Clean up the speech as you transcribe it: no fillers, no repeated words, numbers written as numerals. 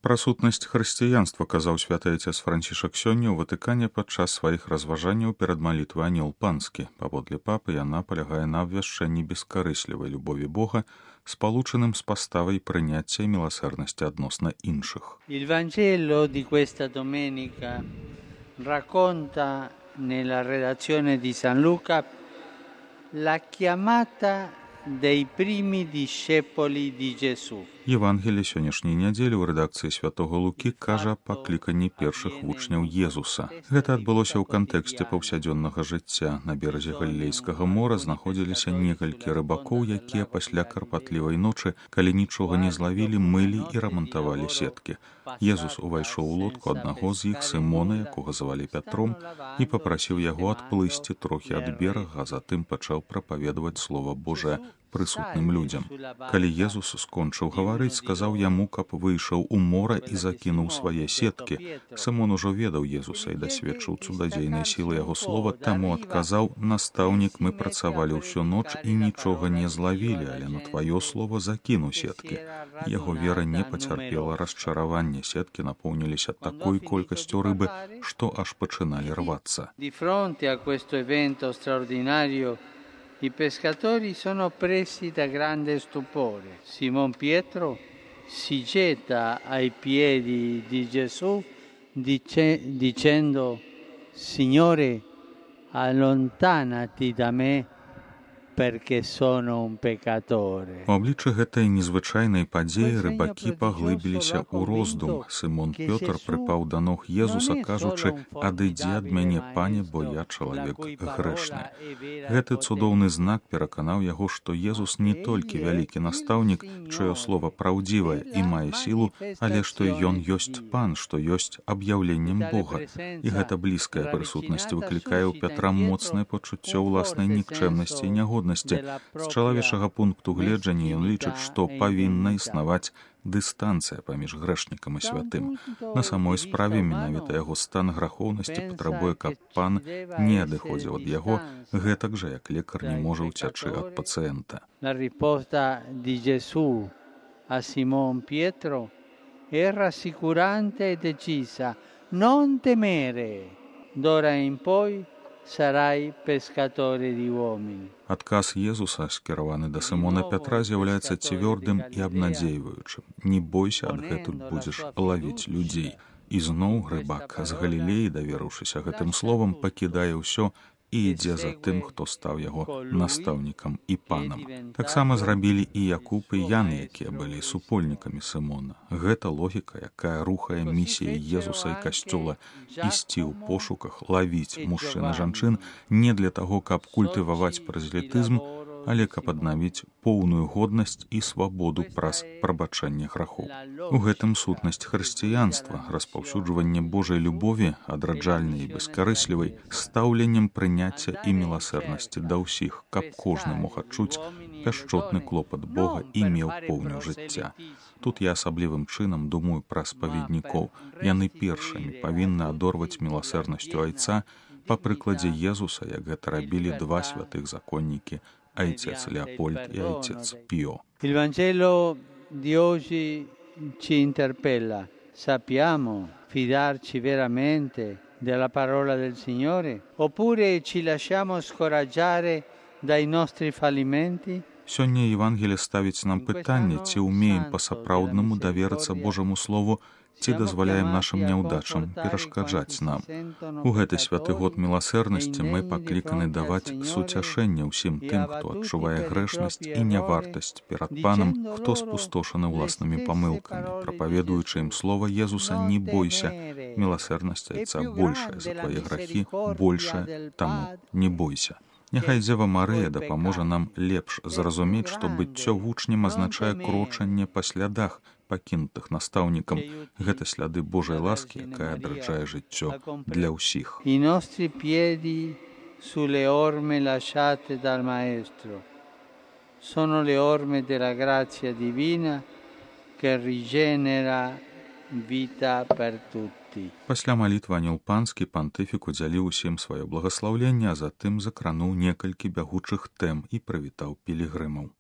Пра сутнасць хрысціянства казаў святы айцец Францішак сёння ў Ватыкане падчас сваіх разважанняў перад малітвай анёл панскі. Паводле папы яна палягае на абвяшчэнні бескарыслівай любові Бога, спалучаным з паставай прыняцця і міласэрнасці адносна іншых. Il Vangelo di questa domenica racconta nella redazione di San Luca la chiamata dei primi discepoli di Gesù. Евангелие сённяшняй нядзелі ў рэдакцыі святого Лукі кажа аб пакліканні першых вучняў Езуса. Гэта адбылося ў кантэксце паўсядзённага жыцця. На беразе Галілейскага мора знаходзіліся некалькі рыбакоў, якія пасля карпатлівай ночы, калі нічога не злавілі, мылі і рамантавалі сеткі. Езус увайшоў у лодку аднаго з іх, Сымона, якога звалі Пятром, і папрасіў яго адплысці трохі ад берага, а затым пачаў прапаведаваць Слова Божае прысутным людзям. Калі Езус скончыў гаварыць, сказаў яму, каб выйшаў у мора і закінуў свае сеткі. Сымон ужо ведаў Езуса і дасведчыў цудадзейнай сілы яго слова, таму адказаў: «Настаўнік, мы працавалі ўсю ноч і нічога не злавілі, але на тваё слово закіну сеткі». Яго вера не пацярпела расчаравання. Сеткі напоўніліся такой колькасцю рыбы, што аж пачыналі рвацца. Di fronte a questo evento straordinario i pescatori sono presi da grande stupore. Simon Pietro si getta ai piedi di Gesù dicendo: Signore, allontanati da me perché sono un peccatore. У абліччы гэтай незвычайнай падзеі рыбакі паглыбіліся ў роздум. Сымон Пётр прыпаў да ног Езуса, кажучы: «Адыдзі ад мяне, пане, бо я чалавек грэшны». Гэты цудоўны знак пераканаў яго, што Езус не толькі вялікі настаўнік, чыё слова праўдзівае і мае сілу, але што ён ёсць пан, што ёсць аб'яўленнем Бога. І гэта блізкая прысутнасць выклікае ў Пятра моцнае пачуццё ўласнай нікчэмнасці і нягоднасці. З чалавечага пункту гледжання ён лічыць, што павінна існаваць дыстанцыя паміж грэшнікам і святым. На самой справе менавіта яго стан грахоўнасці патрабуе, каб пан не адыходзіў ад яго, гэтак жа, як лекар не можа ўцячы ад пацыента. La risposta di Gesù a Simon Pietro è rassicurante e decisa: non temere, d'ora in poi sarai pescatore di uomini. Адказ Езуса, скіраваны да Сымона Пятра, з'яўляецца цвёрдым і абнадзейваючым. Не бойся, адгэтуль будзеш лавіць людзей. І зноў рыбак з Галілеі, даверыўшыся гэтым словам, пакідае ўсё і ідзе за тым, хто стаў яго настаўнікам і панам. Таксама зрабілі і Якуб і Ян, якія былі супольнікамі Сымона. Гэта логіка, якая рухае місіяй Езуса і Касцёла ісці ў пошуках, лавіць мужчын і жанчын не для таго, каб культываваць празелітызм, але каб аднавіць поўную годнасць і свабоду праз прабачэнне грахоў. У гэтым сутнасць хрысціянства, распаўсюджванне Божай любові, адраджальнай і бескарыслівай, стаўленнем прыняцця і міласэрнасці да ўсіх, каб кожны мог адчуць пяшчотны клопат Бога і меў поўню жыцця. Тут я асаблівым чынам думаю пра спаведнікоў. Яны першымі павінны адорваць міласэрнасцю айца па прыкладзе Езуса, як гэта рабілі два святых законнікі, айцец Леопольд і айцец Піо. Il Vangelo di oggi ci interpella. Sappiamo fidarci veramente della parola del Signore? Oppure ci lasciamo scoraggiare dai nostri fallimenti? Сёння Евангелие ставіць нам пытанне, ці ўмеем па-сапраўднаму даверыцца Божаму Слову, ці дазваляем нашым няўдачам перашкаджаць нам. У гэты святы год міласэрнасці мы пакліканы даваць суцяшэнне ўсім тым, хто адчувае грэшнасць і нявартасць перад панам, хто спустошаны ўласнымі памылкамі. Прапаведуючы ім слова Езуса: «Не бойся, міласэрнасць айца большая за твае грахі, большая, таму не бойся». Няхай Дзева Марыя дапаможа нам лепш зразумець, што быццё вучнем азначае крочанне па слядах, пакінутых настаўнікам. Гэта сляды Божай ласкі, якая адраджае жыццё для ўсіх. I nostri piedi sulle orme lasciate dal Maestro sono le orme della grazia divina che rigenera vita per tutti. Пасля малітвы анёл панскі пантыфік удзяліў усім сваё благаслаўленне, а затым закрануў некалькі бягучых тэм і прывітаў пілігрымаў.